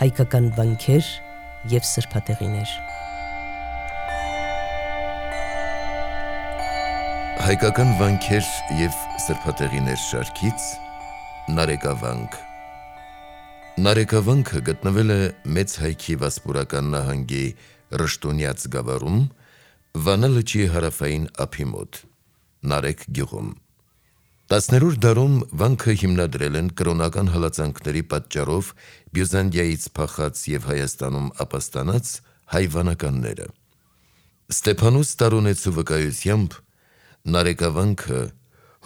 հայկական վանքեր և սրբատեղիներ։ Հայկական վանքեր և սրբատեղիներ շարքից Նարեկավանք։ Նարեկավանքը գտնվել է Մեծ Հայքի Վասպուրական նահանգի Ռշտունյաց գավառում, Վանա լճի հարավային ափի մոտ, Նարեկ գյուղում։ 10-րդ դարում վանքը հիմնադրել են կրոնական հալածանքների պատճառով Բյուզանդիայից փախած և Հայաստանում ապաստանած հայ վանականները։ Ստեփանոս Տարոնեցու վկայությամբ Նարեկավանքը,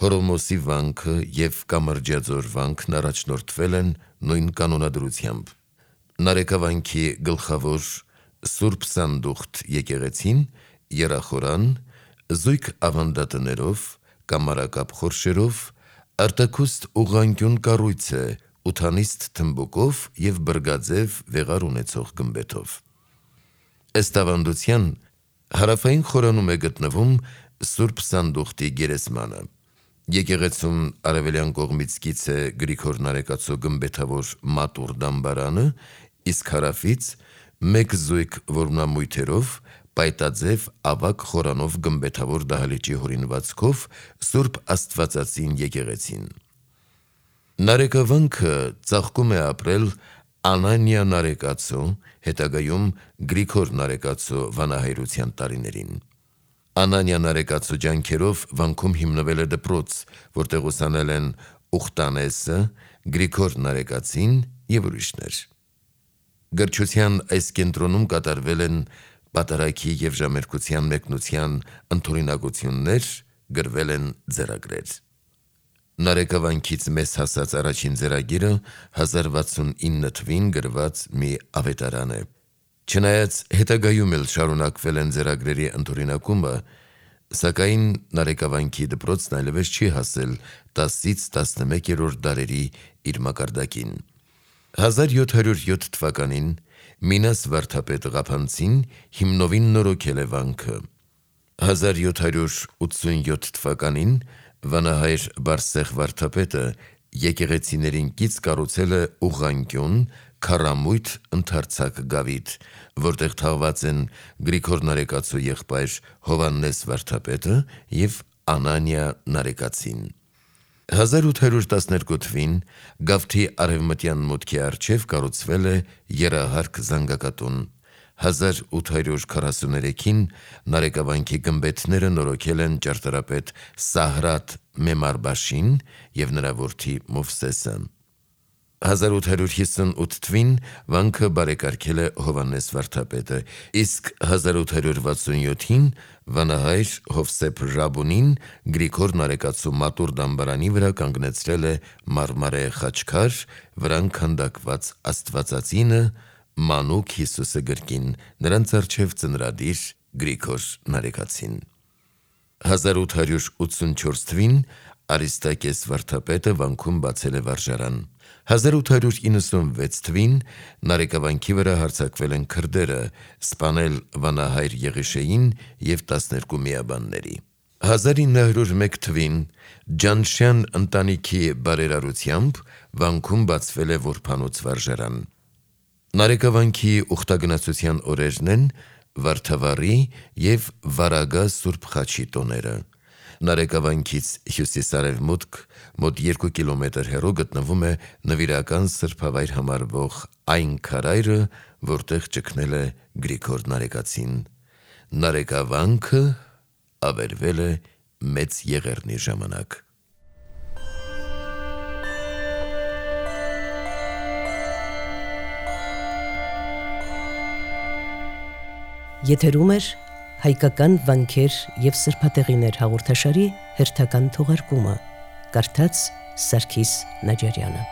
Հորոմոսի վանքը և Կամրջաձոր վանքն առաջնորդվել են նույն կանոնադրությամբ։ Նարեկավանքի գլխավոր Սուրբ Սանդուղթ եկեղեցին եռախորան, զույգ ավանդատներով, կամարակապ խորշերով, արտաքուստ ուղղանկյուն կառույց է ութանիստ թմբուկով և բրգաձև վեղար ունեցող գմբեթով։ Ըստ ավանդության, հարավային խորանում է գտնվում Սուրբ Սանդուղթի գերեզմանը։ Եկեղեցուն արևելյան կողմից կից է Գրիգոր Նարեկացու գմբեթավոր մատուռ դամբարանը, իսկ հարավից մեկ զույգ որմնամույթերով պայտաձև ավագ խորանով գմբեթավոր դահլիճի հորինվածքով Սուրբ Աստվածածին եկեղեցին։ Նարեկավանքը ծաղկում է ապրել Անանիա Նարեկացու, հետագայում Գրիգոր Նարեկացու վանահայրության տարիներին։ Անանիա Նարեկացու ջանքերով վանքում հիմնվել է դպրոց, որտեղ ուսանել են Ուխտանեսը, Գրիգոր Նարեկացին և ուրիշներ։ Գրչության այս կենտրոնում կատարվել են պատարագի և ժամերկության մեկնության ընդօրինակություններ, գրվել են ձեռագրեր։ Նարեկավանքից մեզ հասած առաջին ձեռագիրը 1069 թվին գրված մի ավետարան է։ Չնայած հետագայում էլ շարունակվել են ձեռագրերի ընդօրինակումը, սակայն Նարեկավանքի դպրոցն այլևս չի հասել 10-ից 11-րդ դարերի իր մակարդակին։ 1707 թվականին Մինաս վարդապետ Ղափանցին հիմնովին նորոգել է վանքը։ 1787 թվականին վանահայր Բարսեղ վարդապետը եկեղեցիներին կից կառուցել է ուղղանկյուն, քառամույթ ընդարձակ գավիթ, որտեղ թաղված են Գրիգոր Նարեկացու եղբայր Հովհաննես վարդապետը և Անանիա Նարեկացին։ 1812 թվին գավթի արևմտյան մուտքի առջև կառուցվել է եռահարկ զանգակատուն։ 1843-ին Նարեկավանքի գմբեթները նորոգել են ճարտարապետ Սահրատ Մեմարբաշին և նրա որդի Մովսեսը։ 1858 թվին վանքը բարեկարգել է Հովհաննես վարդապետը, իսկ 1867-ին վանահայր Հովսեփ Ռաբունին Գրիգոր Նարեկացու մատուռ դամբարանի վրա կանգնեցրել է մարմարե խաչքար, վրան քանդակված Աստվածածինը, մանուկ Հիսուսը գրկին, նրանց առջև ծնրադիր Գրիգոր Նարեկացին։ 1884 թվին Արիստակես վարդապետը վանքում բացել է վարժարան։ 1896 թվին Նարեկավանքի վրա հարձակվել են քրդերը, սպանել վանահայր Եղիշեին և 12 միաբանների։ 1901 թվին Ջանշյան ընտանիքի բարերարությամբ վանքում բացվել է որբանոց վարժարան։ Նարեկավանքի ուխտագնացության օրերն են Վարդավառի և Վարագա Սուրբ Խաչի տոները։ Նարեկավանքից հյուսիս-արևմուտք մոտ 2 կիլոմետր հեռու գտնվում է նվիրական սրբավայր համարվող այն քարայրը, որտեղ ճգնել է Գրիգոր Նարեկացին։ Նարեկավանքը ավերվել է Մեծ Եղեռնի ժամանակ։ Եթերում էր հայկական վանքեր և սրբատեղիներ հաղորդաշարի հերթական թողարկումը, կարդաց Սարգիս Նաջարյանը։